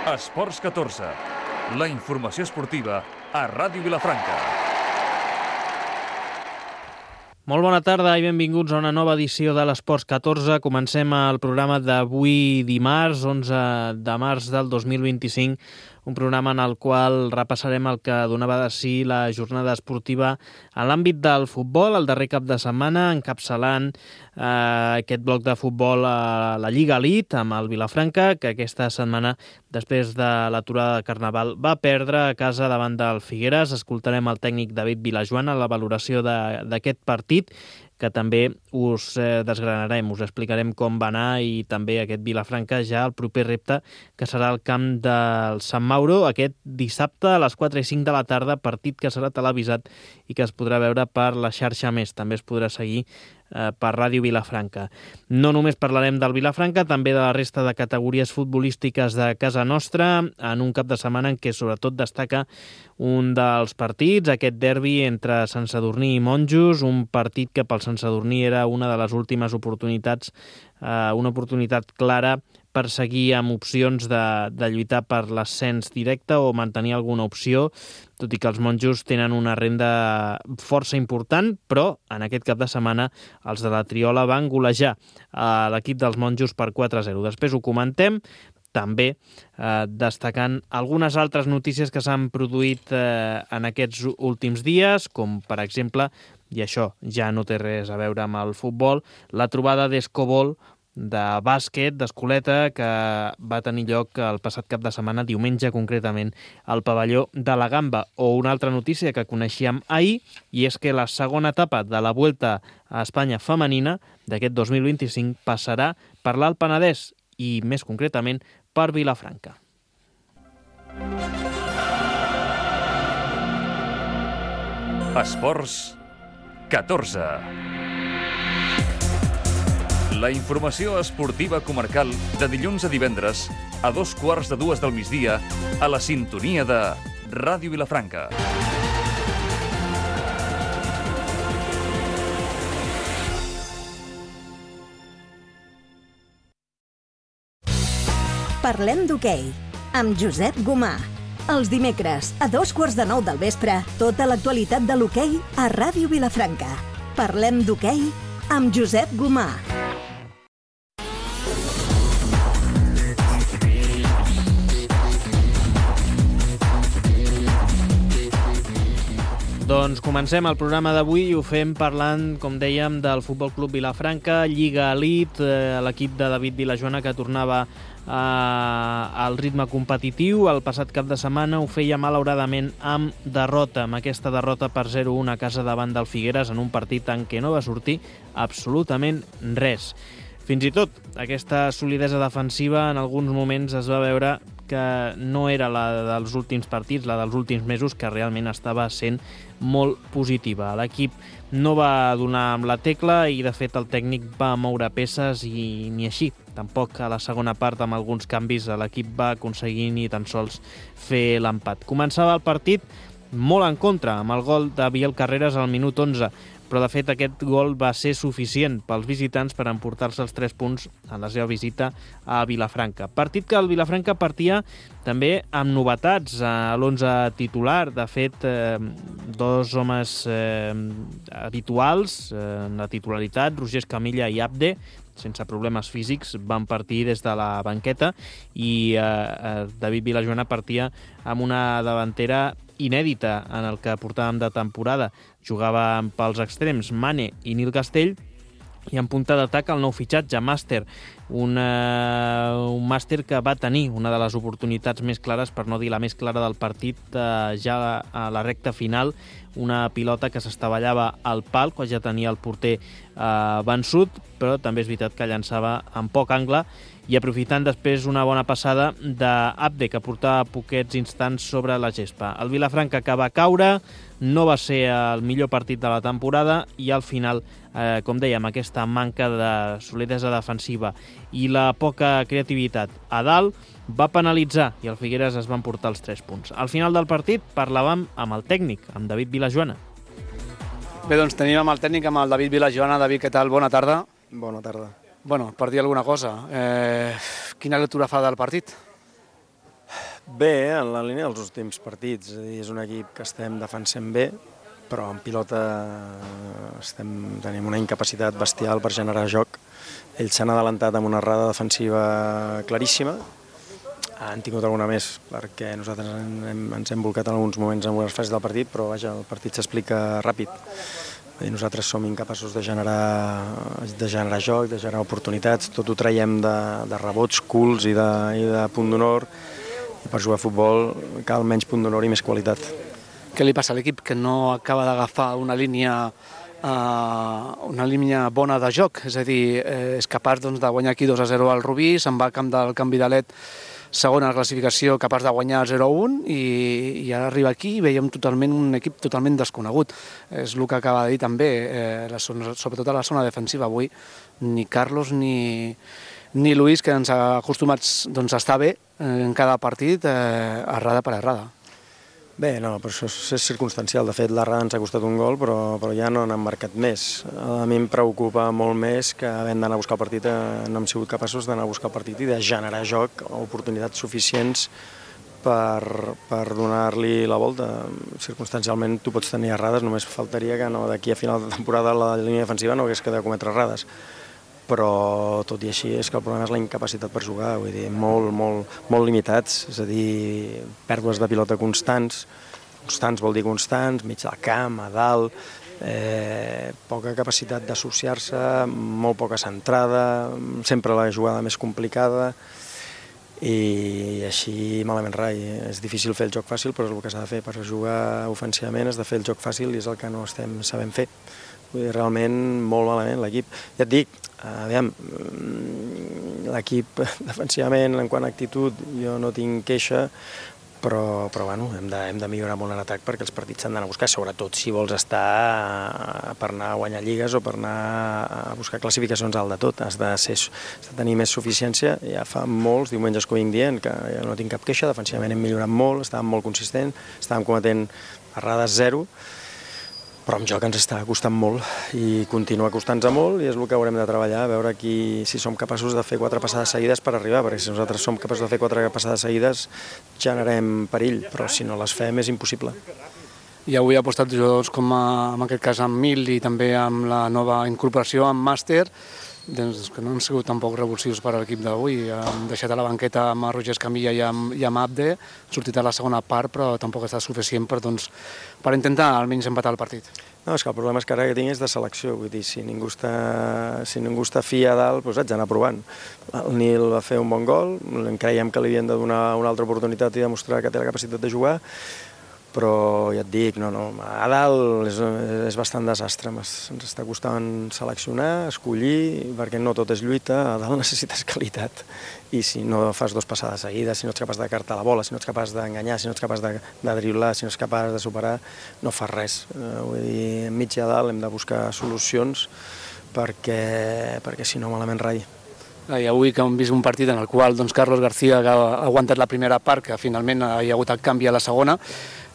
Esports 14, la informació esportiva a Ràdio Vilafranca. Molt bona tarda i benvinguts a una nova edició de l'Esports 14. Comencem el programa d'avui dimarts, 11 de març del 2025, un programa en el qual repassarem el que donava de si la jornada esportiva en l'àmbit del futbol, el darrer cap de setmana, encapçalant aquest bloc de futbol a la Lliga Elite amb el Vilafranca, que aquesta setmana, després de l'aturada de Carnaval, va perdre a casa davant del Figueres. Escoltarem el tècnic David Vilajoana a la valoració d'aquest partit, que també us desgranarem, us explicarem com va anar, i també aquest Vilafranca ja el proper repte, que serà el camp del Sant Mauro aquest dissabte a les 4 i 5 de la tarda, partit que serà televisat i que es podrà veure per la xarxa Més. També es podrà seguir per Ràdio Vilafranca. No només parlarem del Vilafranca, també de la resta de categories futbolístiques de casa nostra, en un cap de setmana en què sobretot destaca un dels partits, aquest derbi entre Sant Sadurní i Monjos, un partit que pel Sant Sadurní era una de les últimes oportunitats, una oportunitat clara per seguir amb opcions de lluitar per l'ascens directe o mantenir alguna opció, tot i que els monjos tenen una renda força important, però en aquest cap de setmana els de la Triola van golejar a l'equip dels monjos per 4-0. Després ho comentem, també destacant algunes altres notícies que s'han produït en aquests últims dies, com per exemple, i això ja no té res a veure amb el futbol, la trobada d'Escobol, de bàsquet, d'escoleta, que va tenir lloc el passat cap de setmana, diumenge concretament, al pavelló de la Gamba. O una altra notícia que coneixíem ahir, i és que la segona etapa de la Vuelta a Espanya femenina d'aquest 2025 passarà per l'Alt Penedès i, més concretament, per Vilafranca. Esports 14. La informació esportiva comarcal de dilluns a divendres a 2:15 del migdia a la sintonia de Ràdio Vilafranca. Parlem d'hoquei, amb Josep Gomà. Els dimecres, a 8:15 del vespre, tota l'actualitat de l'hoquei a Ràdio Vilafranca. Parlem d'hoquei amb Josep Gomà. Doncs comencem el programa d'avui i ho fem parlant, com dèiem, del Futbol Club Vilafranca, Lliga Elite, l'equip de David Vilajoana que tornava al ritme competitiu. El passat cap de setmana ho feia malauradament amb derrota, amb aquesta derrota per 0-1 a casa davant del Figueres en un partit en què no va sortir absolutament res. Fins i tot aquesta solidesa defensiva en alguns moments es va veure que no era la dels últims partits, la dels últims mesos, que realment estava sent molt positiva. L'equip no va donar amb la tecla i, de fet, el tècnic va moure peces i ni així. Tampoc a la segona part, amb alguns canvis, l'equip va aconseguir ni tan sols fer l'empat. Començava el partit molt en contra, amb el gol de Biel Carreras al minut 11, però de fet aquest gol va ser suficient pels visitants per emportar-se els 3 punts en la seva visita a Vilafranca. Partit que el Vilafranca partia també amb novetats a l'11 titular. De fet, dos homes habituals en la titularitat, Roger Escamilla i Abde, sense problemes físics, van partir des de la banqueta, i David Vilajoana partia amb una davantera inèdita en el que portàvem de temporada. Jugava pels extrems Mane i Nil Castell, i en punta d'atac el nou fitxatge, Màster, un Màster que va tenir una de les oportunitats més clares, per no dir la més clara del partit, ja a la recta final, una pilota que s'estavellava al pal quan ja tenia el porter vençut, però també és veritat que llançava en poc angle, i aprofitant després una bona passada d'Abde, que portava poquets instants sobre la gespa. El Vilafranca que va caure, no va ser el millor partit de la temporada, i al final, com dèiem, aquesta manca de solidesa defensiva i la poca creativitat a dalt va penalitzar, i el Figueres es va emportar els 3 punts. Al final del partit parlàvem amb el tècnic, amb David Vilajoana. Bé, doncs tenim amb el tècnic, amb el David Vilajoana. David, què tal? Bona tarda. Bona tarda. Bueno, per dir alguna cosa, quina lectura fa del partit? Bé, en la línia dels últims partits. És un equip que estem defensant bé, però en pilota tenim una incapacitat bestial per generar joc. Ells s'han adelantat amb una errada defensiva claríssima. Han tingut alguna més, perquè nosaltres ens hem volcat en alguns moments en algunes fases del partit, però vaja, el partit s'explica ràpid. Nosaltres som incapaços de generar joc, de generar oportunitats, tot ho traiem de rebots, culs i de punt d'honor, i per jugar a futbol cal menys punt d'honor i més qualitat. Què li passa a l'equip que no acaba d'agafar una línia bona de joc? És a dir, és capaç de guanyar aquí 2-0 al Rubí, se'n va al camp del Can Vidalet, segona a la classificació, capaç de guanyar 0-1, i ara arriba aquí i veiem un equip totalment desconegut. És el que acaba de dir també, sobretot a la zona defensiva. Avui ni Carlos ni Luis, que ens ha acostumats a estar bé en cada partit, errada per errada. Bé, no, però això és circumstancial. De fet, l'errada ens ha costat un gol, però ja no n'han marcat més. A mi em preocupa molt més que havent d'anar a buscar el partit, no hem sigut capaços d'anar a buscar el partit i de generar joc, oportunitats suficients per donar-li la volta. Circumstancialment tu pots tenir errades, només faltaria que d'aquí a final de temporada la línia defensiva no hagués de cometre errades. Però tot i així és que el problema és la incapacitat per jugar, vull dir, molt limitats, és a dir, pèrdues de pilota constants vol dir constants, mig del camp, a dalt, poca capacitat d'associar-se, molt poca centrada, sempre la jugada més complicada, i així malament rai. És difícil fer el joc fàcil, però és el que s'ha de fer. Per jugar ofensivament has de fer el joc fàcil i és el que no estem sabent fer. Vull dir, realment molt malament l'equip. Ja et dic, aviam, l'equip defensivament, en quant a actitud, jo no tinc queixa, però bueno, hem de millorar molt en atac perquè els partits s'han d'anar a buscar, sobretot si vols estar per anar a guanyar lligues o per anar a buscar classificacions alt de tot. Has de tenir més suficiència. Ja fa molts diumenges que ho vinc dient, que jo no tinc cap queixa, defensivament hem millorat molt, estàvem molt consistents, estàvem cometent errades zero, però amb joc ens està costant molt i continua costant-nos molt, i és el que haurem de treballar, a veure si som capaços de fer 4 passades seguides per arribar, perquè si nosaltres som capaços de fer 4 passades seguides generem perill, però si no les fem és impossible. I avui ha apostat jugadors com en aquest cas amb Mil i també amb la nova incorporació amb Màster, que no han sigut tampoc revulsius per a l'equip d'avui. Han deixat a la banqueta amb Roger Escamilla i amb Abde, ha sortit a la segona part, però tampoc està suficient per intentar almenys empatar el partit. No, és que el problema és que ara que tinc és de selecció, vull dir, si ningú està fi a dalt, doncs haig d'anar provant. El Nil va fer un bon gol, creiem que li havien de donar una altra oportunitat i demostrar que té la capacitat de jugar, però ja et dic, a dalt és bastant desastre, ens està costant seleccionar, escollir, perquè no tot és lluita, a dalt necessites qualitat, i si no fas 2 passades seguides, si no ets capaç de cartar la bola, si no ets capaç d'enganyar, si no ets capaç de driblar, si no ets capaç de superar, no fas res. Vull dir, enmig i a dalt hem de buscar solucions perquè si no malament rai. I avui que hem vist un partit en el qual Carlos García ha aguantat la primera part, que finalment hi ha hagut el canvi a la segona,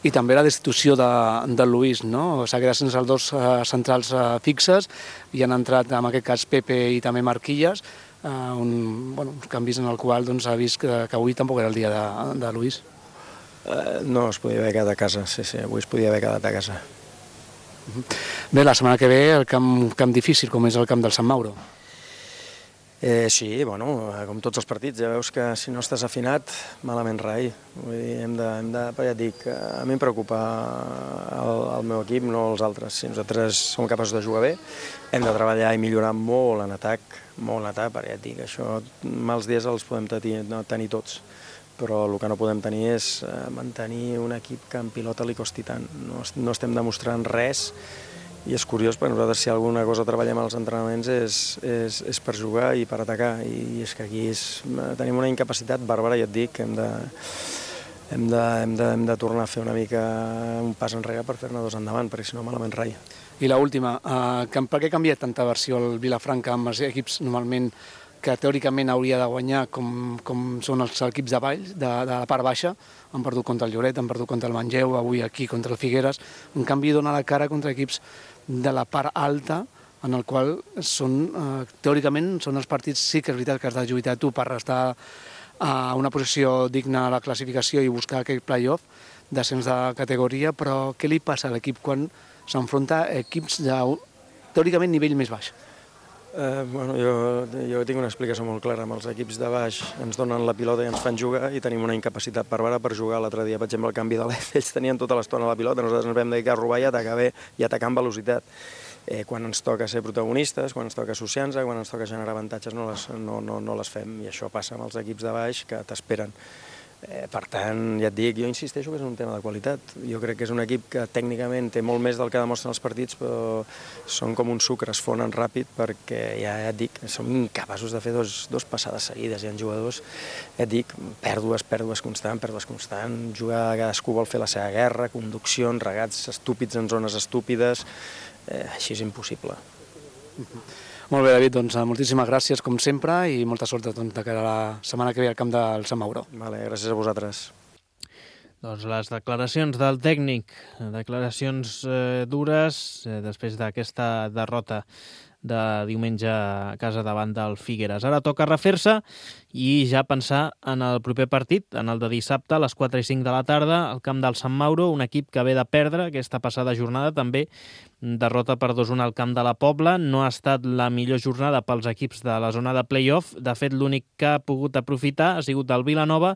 i també la destitució de Luis, no? S'ha quedat sense els 2 centrals fixes i han entrat, en aquest cas, Pepe i també Marquilles, uns canvis en el qual ha vist que avui tampoc era el dia de Luis. No, es podia haver quedat a casa, sí, avui es podia haver quedat a casa. Bé, la setmana que ve el camp difícil, com és el camp del Sant Mauro. Sí, com tots els partits, ja veus que si no estàs afinat, malament rai. Vull dir, però ja et dic, a mi em preocupa el meu equip, no els altres. Si nosaltres som capaços de jugar bé, hem de treballar i millorar molt en atac, perquè ja et dic, això, mals dies els podem tenir tots, però el que no podem tenir és mantenir un equip que en pilota li costi tant. No estem demostrant res. I és curiós, perquè nosaltres si alguna cosa treballem als entrenaments és per jugar i per atacar, i és que aquí tenim una incapacitat bàrbara, ja et dic, hem de tornar a fer una mica un pas enrere per fer-ne 2 endavant, perquè si no malament rai. I l'última, per què ha canviat tanta versió el Vilafranca amb els equips normalment que teòricament hauria de guanyar com són els equips de Valls, de la part baixa? Han perdut contra el Lloret, han perdut contra el Manlleu, avui aquí contra el Figueres. En canvi, dona la cara contra equips de la part alta, en el qual teòricament són els partits, sí que és veritat que has de lluitar tu per estar a una posició digna a la classificació i buscar aquell play-off d'ascens de categoria, però què li passa a l'equip quan s'enfronta a equips de, teòricament, nivell més baix? Jo tinc una explicació molt clara. Amb els equips de baix ens donen la pilota i ens fan jugar i tenim una incapacitat bàrbara per jugar. L'altre dia, per exemple, el canvi de l'F, ells tenien tota l'estona la pilota, nosaltres ens vam dedicar a robar i atacar bé i atacar amb velocitat. Quan ens toca ser protagonistes, quan ens toca associar-nos, quan ens toca generar avantatges, no les fem, i això passa amb els equips de baix que t'esperen. Per tant, ja et dic, jo insisteixo que és un tema de qualitat. Jo crec que és un equip que tècnicament té molt més del que demostren els partits, però són com un sucre, es fonen ràpid, perquè ja et dic, som incapaços de fer dos passades seguides. Hi ha jugadors, ja et dic, pèrdues constant, jugar, cadascú vol fer la seva guerra, conduccions, regats estúpids en zones estúpides, així és impossible. Molt bé, David, doncs moltíssimes gràcies, com sempre, i molta sort de cara a la setmana que ve al camp del Sant Mauro. Vale, gràcies a vosaltres. Doncs les declaracions del tècnic, declaracions dures després d'aquesta derrota de diumenge a casa davant del Figueres. Ara toca refer-se i ja pensar en el proper partit, en el de dissabte a les 4 i 5 de la tarda, al camp del Sant Mauro, un equip que ve de perdre aquesta passada jornada, també derrota per 2-1 al camp de la Pobla. No ha estat la millor jornada pels equips de la zona de play-off. De fet, l'únic que ha pogut aprofitar ha sigut el Vilanova,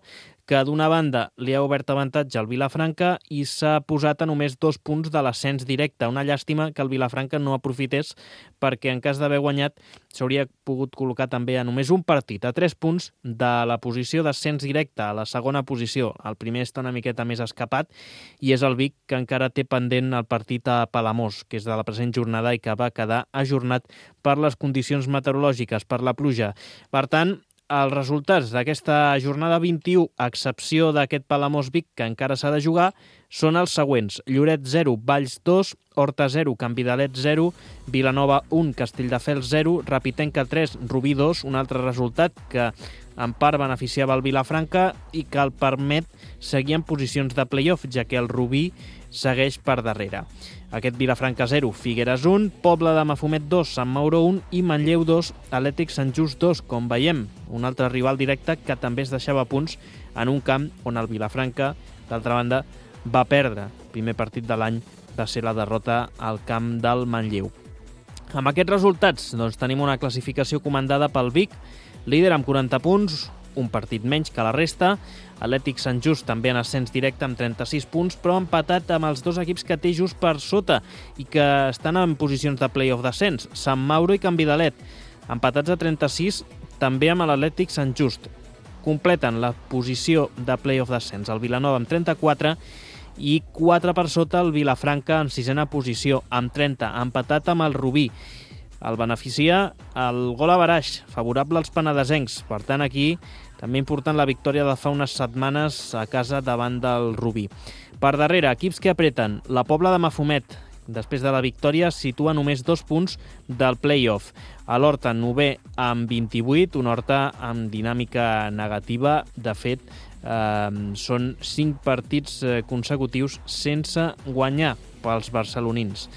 que d'una banda li ha obert avantatge al Vilafranca i s'ha posat a només 2 punts de l'ascens directe. Una llàstima que el Vilafranca no aprofités, perquè en cas d'haver guanyat s'hauria pogut col·locar també a només un partit, a 3 punts de la posició d'ascens directe, a la segona posició. El primer està una miqueta més escapat i és el Vic, que encara té pendent el partit a Palamós, que és de la present jornada i que va quedar ajornat per les condicions meteorològiques, per la pluja. Per tant, els resultats d'aquesta jornada 21, a excepció d'aquest Palamós-Vic, que encara s'ha de jugar, són els següents: Lloret 0, Valls 2, Horta 0, Canvidalet 0, Vilanova 1, Castelldefels 0, Rapitenca 3, Rubí 2, un altre resultat que en part beneficiava el Vilafranca i que el permet seguir en posicions de play-off, ja que el Rubí segueix per darrere. Aquest Vilafranca 0, Figueres 1, Pobla de Mafumet 2, Sant Mauro 1 i Manlleu 2, Atlètic Sant Just 2, com veiem, un altre rival directe que també es deixava punts en un camp on el Vilafranca, d'altra banda, va perdre. El primer partit de l'any va ser la derrota al camp del Manlleu. Amb aquests resultats, doncs, tenim una classificació comandada pel Vic, líder amb 40 punts, un partit menys que la resta. Atlètic Sant Just també en ascens directe amb 36 punts, però empatat amb els dos equips que té just per sota i que estan en posicions de play-off d'ascens, Sant Mauro i Canvidalet, empatats a 36 també amb l'Atlètic Sant Just. Completen la posició de play-off d'ascens el Vilanova amb 34 i 4 per sota el Vilafranca en sisena posició amb 30, empatat amb el Rubí. El beneficia el gol averaix, favorable als penedesencs. Per tant, aquí també important la victòria de fa unes setmanes a casa davant del Rubí. Per darrere, equips que apreten. La Pobla de Mafumet, després de la victòria, situa només 2 punts del play-off. A l'Horta, 9è amb 28, un Horta amb dinàmica negativa. De fet, són 5 partits consecutius sense guanyar pels barcelonins.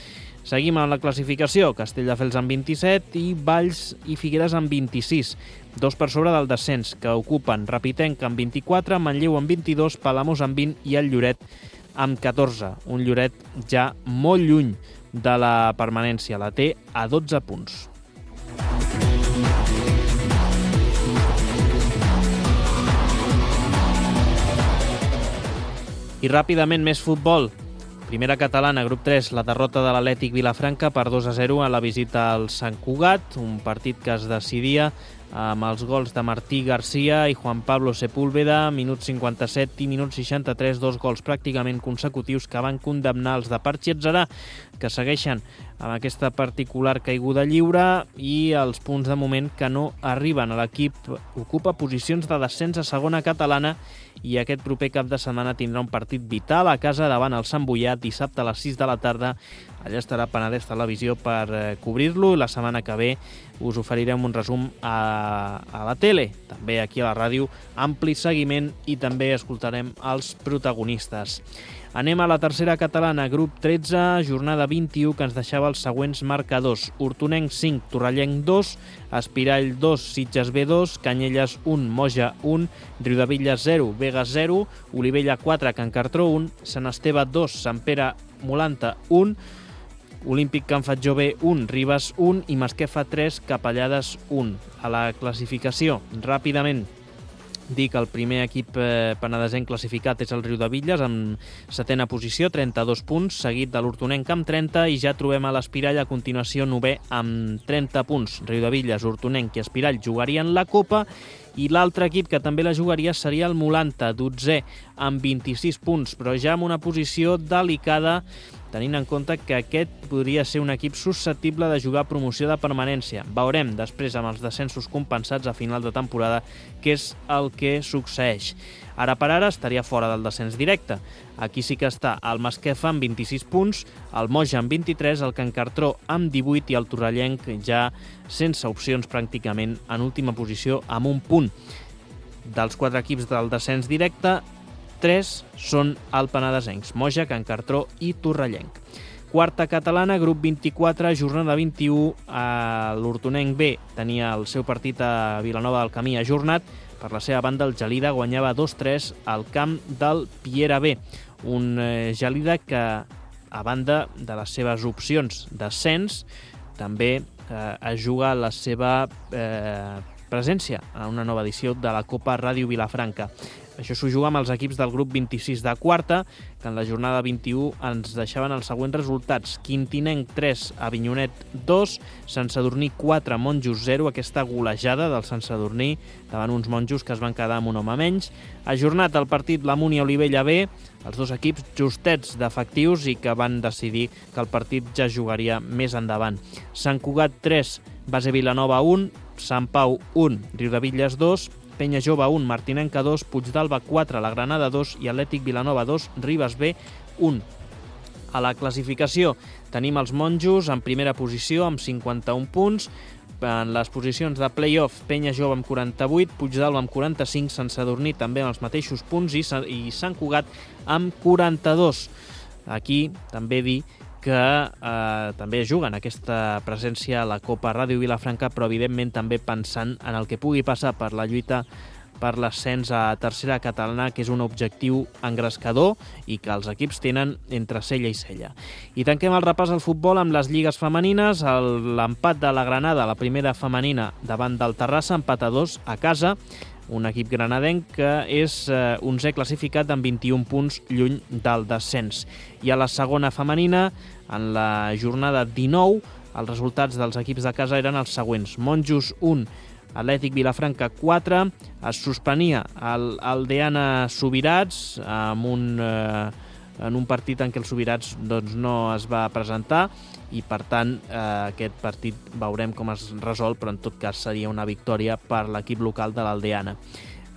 Seguim amb la classificació, Castelldefels amb 27 i Valls i Figueres amb 26, 2 per sobre del descens, que ocupen Rapitenca amb 24, Manlleu amb 22, Palamós amb 20 i el Lloret amb 14. Un Lloret ja molt lluny de la permanència, la té a 12 punts. I ràpidament més futbol. Primera catalana, grup 3, la derrota de l'Atlètic Vilafranca per 2-0 a la visita al Sant Cugat, un partit que es decidia amb els gols de Martí Garcia i Juan Pablo Sepúlveda, minut 57 i minut 63, 2 gols pràcticament consecutius que van condemnar els de Parchi Atzarà, que segueixen amb aquesta particular caiguda lliure i els punts de moment que no arriben. L'equip ocupa posicions de descens a segona catalana i aquest proper cap de setmana tindrà un partit vital a casa davant el Sant Boià dissabte a les 6 de la tarda Allà estarà Penedès Televisió per cobrir-lo. La setmana que ve us oferirem un resum a la tele, també aquí a la ràdio, ampli seguiment i també escoltarem els protagonistes. Anem a la tercera catalana, grup 13, jornada 21, que ens deixava els següents marcadors. Hortonenc 5, Torrellenc 2, Espirall 2, Sitges B 2, Canyelles 1, Moja 1, Riudebitlles 0, Begues 0, Olivella 4, Can Cartró 1, Sant Esteve 2, Sant Pere Molanta 1, Olímpic Can Fatjó B 1, Ribes 1 i Masquefa 3, Capellades 1. A la classificació, ràpidament, dir que el primer equip penedesenc classificat és el Riudebitlles amb 7a posició, 32 punts, seguit de l'Hortonenc amb 30 i ja trobem a l'Espirall a continuació 9è amb 30 punts. Riudebitlles, Hortonenc i Espirall jugarien la Copa i l'altre equip que també la jugaria seria el Molanta, 12è amb 26 punts, però ja amb una posició delicada tenint en compte que aquest podria ser un equip susceptible de jugar promoció de permanència. Veurem després amb els descensos compensats a final de temporada què és el que succeeix. Ara per ara estaria fora del descens directe. Aquí sí que està el Masquefa amb 26 punts, el Moja amb 23, el Can Cartró amb 18 i el Torrellenc ja sense opcions pràcticament en última posició amb un punt. Dels 4 equips del descens directe, 3 són el penedesencs, Moja, Can Cartró i Torrellenc. Quarta catalana, grup 24, jornada 21, l'Hortonenc B tenia el seu partit a Vilanova del Camí ajornat. Per la seva banda, el Gelida guanyava 2-3 al camp del Piera B. Un Gelida que, a banda de les seves opcions d'ascens, també es juga la seva presència en una nova edició de la Copa Ràdio Vilafranca. Això s'ho juga amb els equips del grup 26 de quarta, que en la jornada 21 ens deixaven els següents resultats. Quintinenc 3, Avinyonet 2, Sant Sadurní 4, Monjos 0, aquesta golejada del Sant Sadurní davant uns monjos que es van quedar amb un home menys. Ajornat el partit la Múnia Olivella B, els dos equips justets d'efectius i que van decidir que el partit ja jugaria més endavant. Sant Cugat 3, Base Vilanova 1, Sant Pau 1, Riudebitlles 2, Penya Jove 1, Martinenca 2, Puigdàlber 4, la Granada 2 i Atlètic Vilanova 2, Ribes B 1. A la classificació tenim els monjos en primera posició amb 51 punts. En les posicions de play-off, Penya Jove amb 48, Puigdàlber amb 45, Sant Sadurní també amb els mateixos punts i Sant Cugat amb 42. Aquí també dir que també juguen aquesta presència a la Copa Ràdio Vilafranca, però evidentment també pensant en el que pugui passar per la lluita per l'ascens a tercera catalana, que és un objectiu engrescador i que els equips tenen entre cella i cella. I tanquem el repàs al futbol amb les lligues femenines. L'empat de la Granada, la primera femenina, davant del Terrassa, empat a 2 a casa. Un equip granadenc que és 11è classificat amb 21 punts lluny del descens. I a la segona femenina, en la jornada 19, els resultats dels equips de casa eren els següents. Monjos 1, Atlètic Vilafranca 4, es suspenia el Aldeana Subirats en un partit en què el Subirats no es va presentar i per tant aquest partit veurem com es resol, però en tot cas seria una victòria per l'equip local de l'Aldeana.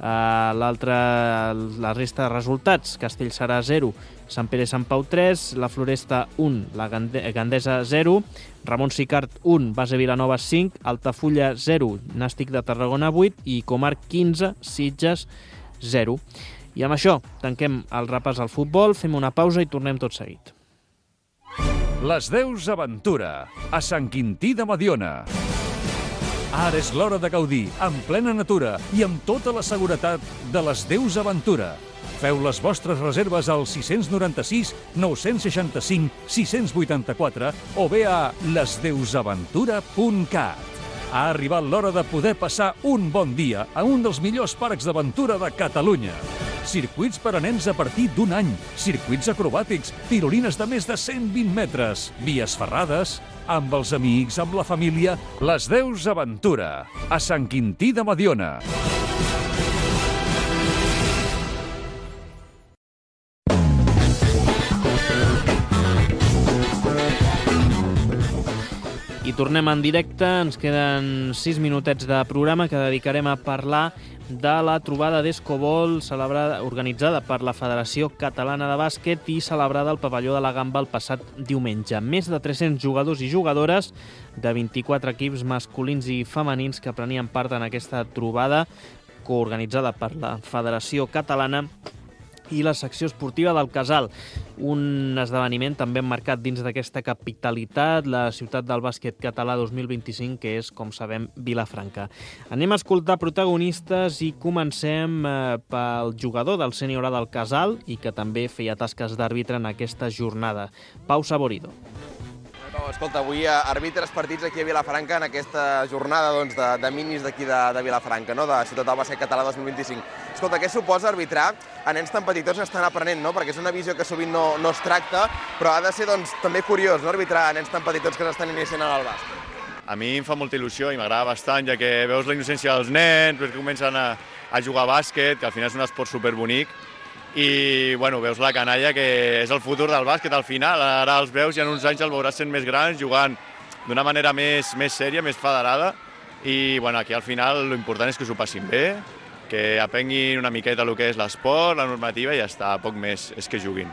La resta de resultats: Castellserà 0, Sant Pere Sant Pau 3, la Floresta 1, la Gandesa 0, Ramon Sicart 1, Base Vilanova 5, Altafulla 0, Nàstic de Tarragona 8 i Comar 15, Sitges 0. I amb això tanquem el repàs al futbol, fem una pausa i tornem tot seguit. Les Deus Aventura, a Sant Quintí de Mediona. Ara és l'hora de gaudir, en plena natura i amb tota la seguretat de les Deus Aventura. Feu les vostres reserves al 696 965 684 o bé a lesdeusaventura.cat. Ha arribat l'hora de poder passar un bon dia a un dels millors parcs d'aventura de Catalunya. Circuits per a nens a partir d'un any, circuits acrobàtics, tirolines de més de 120 metres, vies ferrades, amb els amics, amb la família. Les Deus Aventura, a Sant Quintí de Mediona. I tornem en directe, ens queden 6 minutets de programa que dedicarem a parlar de la trobada d'Escobol organitzada per la Federació Catalana de Bàsquet i celebrada al pavelló de la Gamba el passat diumenge. Més de 300 jugadors i jugadores de 24 equips masculins i femenins que prenien part en aquesta trobada coorganitzada per la Federació Catalana i la secció esportiva del Casal. Un esdeveniment també emmarcat dins d'aquesta capitalitat, la ciutat del bàsquet català 2025, que és, com sabem, Vilafranca. Anem a escoltar protagonistes i comencem pel jugador del sènior A del Casal i que també feia tasques d'àrbitre en aquesta jornada, Pau Saborido. Escolta, avui arbitres partits aquí a Vilafranca en aquesta jornada de minis d'aquí de Vilafranca, no? De Ciutat del Bàsquet Català 2025. Escolta, què suposa arbitrar a nens tan petitons que estan aprenent, no? Perquè és una visió que sovint no es tracta, però ha de ser també curiós, no? Arbitrar a nens tan petitons que s'estan iniciant en el bàsquet. A mi em fa molta il·lusió i m'agrada bastant, ja que veus la innocència dels nens, veus que comencen a jugar a bàsquet, que al final és un esport superbonic, i bueno, veus la canalla que és el futur del bàsquet al final, ara els veus i en uns anys els veuràs sent més grans, jugant d'una manera més sèria, més federada, i bueno, aquí al final l'important és que s'ho passin bé, que aprenguin una miqueta el que és l'esport, la normativa i ja està, poc més, és que juguin.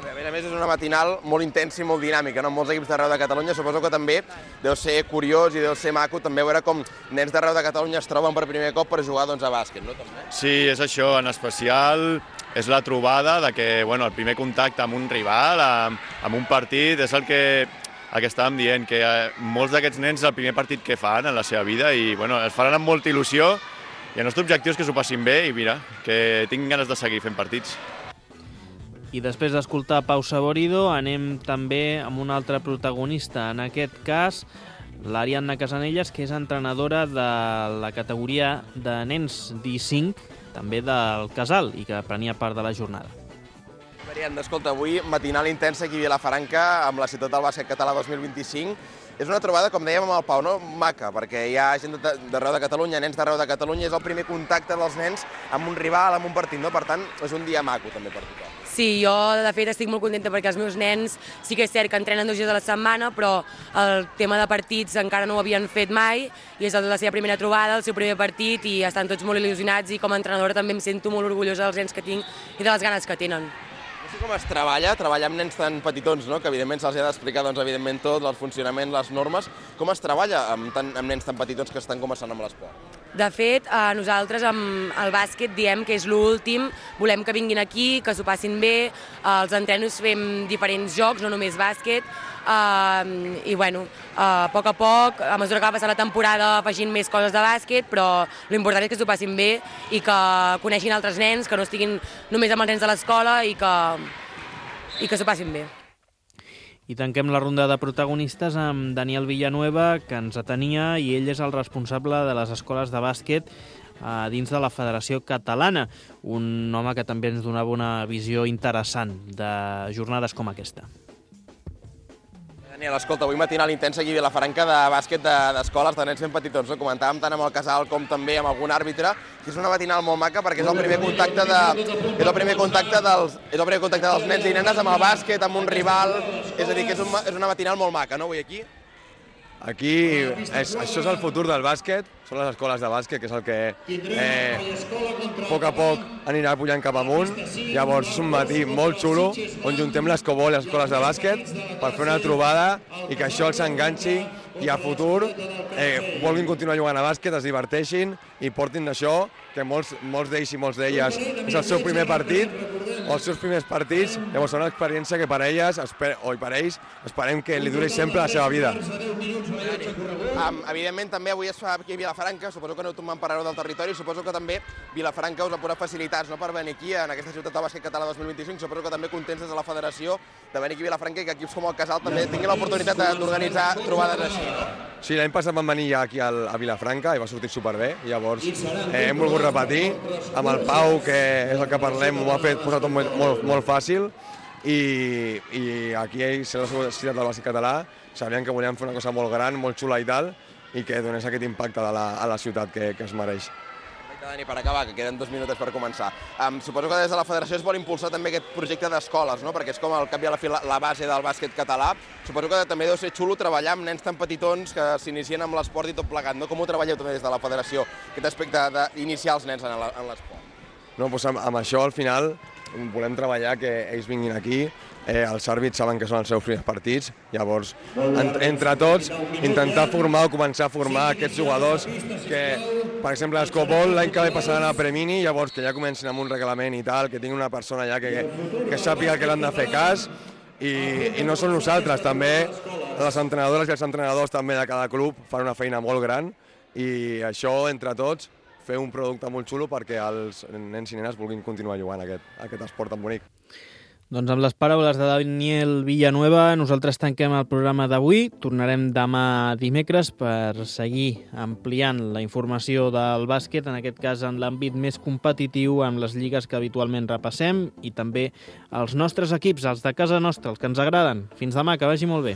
A més és una matinal molt intensa i molt dinàmica, no? Molts equips d'arreu de Catalunya, suposo que també deu ser curiós i deu ser maco també veure com nens d'arreu de Catalunya es troben per primer cop per jugar a bàsquet, no? També? Sí, és això, en especial és la trobada de que el primer contacte amb un rival, amb un partit, és el que estàvem dient, que molts d'aquests nens és el primer partit que fan en la seva vida i es faran amb molta il·lusió i el nostre objectiu és que s'ho passin bé i mira, que tinguin ganes de seguir fent partits. I després d'escoltar Pau Saborido, anem també amb un altre protagonista, en aquest cas l'Ariadna Casanelles, que és entrenadora de la categoria de nens D5, també del Casal, i que prenia part de la jornada. Ariadna, escolta, avui matinal intensa aquí a Vilafranca amb la Ciutat del Bàsquet Català 2025. És una trobada, com dèiem amb el Pau, no? Maca, perquè hi ha gent d'arreu de Catalunya, nens d'arreu de Catalunya, és el primer contacte dels nens amb un rival, amb un partit, no? Per tant, és un dia maco també per tothom. Sí, jo de fet estic molt contenta perquè els meus nens sí que és cert que entrenen 2 dies a la setmana, però el tema de partits encara no ho havien fet mai i és la seva primera trobada, el seu primer partit i estan tots molt il·lusionats i com a entrenadora també em sento molt orgullosa dels nens que tinc i de les ganes que tenen. No sé com es treballar amb nens tan petitons, no? Que evidentment se'ls ha d'explicar evidentment tot, el funcionament, les normes. Com es treballa amb nens tan petitons que estan començant amb l'esport? De fet, nosaltres amb el bàsquet diem que és l'últim, volem que vinguin aquí, que s'ho passin bé, als entrenos fem diferents jocs, no només bàsquet, i a poc, a mesura que va passar la temporada afegint més coses de bàsquet, però l'important és que s'ho passin bé i que coneixin altres nens, que no estiguin només amb els nens de l'escola i que s'ho passin bé. I tanquem la ronda de protagonistes amb Daniel Villanueva, que ens atenia, i ell és el responsable de les escoles de bàsquet dins de la Federació Catalana. Un home que també ens donava una visió interessant de jornades com aquesta. Daniel, escolta, avui matinal intensa aquí a Vilafranca de bàsquet d'escoles de nens ben petitons, no? Comentàvem tant amb el Casal com també amb algun àrbitre, que és una matinal molt maca perquè és el primer contacte dels nens i nenes amb el bàsquet, amb un rival, és a dir, que és una matinal molt maca, no, avui aquí? Aquí, això és el futur del bàsquet, són les escoles de bàsquet, que és el que a poc anirà pujant cap amunt. Llavors és un matí molt xulo, on juntem l'Escobol i les escoles de bàsquet per fer una trobada i que això els enganxi i a futur vulguin continuar jugant a bàsquet, es diverteixin i portin d'això, que molts d'ells i molts d'elles és el seu primer partit, o els seus primers partits, llavors serà una experiència que per elles, o per ells, esperem que li duri sempre la seva vida. Evidentment, també avui es fa aquí a Vilafranca, suposo que aneu tombant per arreu del territori, suposo que també Vilafranca us ha posat facilitats per venir aquí, en aquesta Ciutat del Bàsquet Català 2025, suposo que també contents des de la federació de venir aquí a Vilafranca i que equips com el Casal també tinguin l'oportunitat d'organitzar trobades així, no? Sí, l'any passat vam venir ja aquí a Vilafranca i va sortir superbé, llavors hem volgut repetir, amb el Pau, que és el que parlem, ho ha posat tot molt fàcil, i aquí ells, a la Ciutat del Bàsquet Català, sabien que volíem fer una cosa molt gran, molt xula i tal, i que donés aquest impacte a la ciutat que es mereix. Dani, per acabar, que queden 2 minuts per començar. Suposo que des de la federació es vol impulsar també aquest projecte d'escoles, no? Perquè és com al cap i a la fi la base del bàsquet català. Suposo que també deu ser xulo treballar amb nens tan petitons que s'inicien amb l'esport i tot plegat, no? Com ho treballeu també des de la federació, aquest aspecte d'iniciar els nens en l'esport? No, doncs amb això al final volem treballar que ells vinguin aquí, els àrbits saben que són els seus primers partits, llavors entre tots intentar formar o començar a formar aquests jugadors que, per exemple, l'Escopol l'any que ve passaran a Premini, llavors que ja comencin amb un reglament i tal, que tinguin una persona allà que sàpiga que l'han de fer cas, i no són nosaltres, també les entrenadores i els entrenadors també de cada club fan una feina molt gran, i això entre tots fer un producte molt xulo perquè els nens i nenes vulguin continuar jugant aquest esport tan bonic. Doncs amb les paraules de Daniel Villanueva nosaltres tanquem el programa d'avui. Tornarem demà dimecres per seguir ampliant la informació del bàsquet, en aquest cas en l'àmbit més competitiu, amb les lligues que habitualment repassem i també els nostres equips, els de casa nostra, els que ens agraden. Fins demà, que vagi molt bé.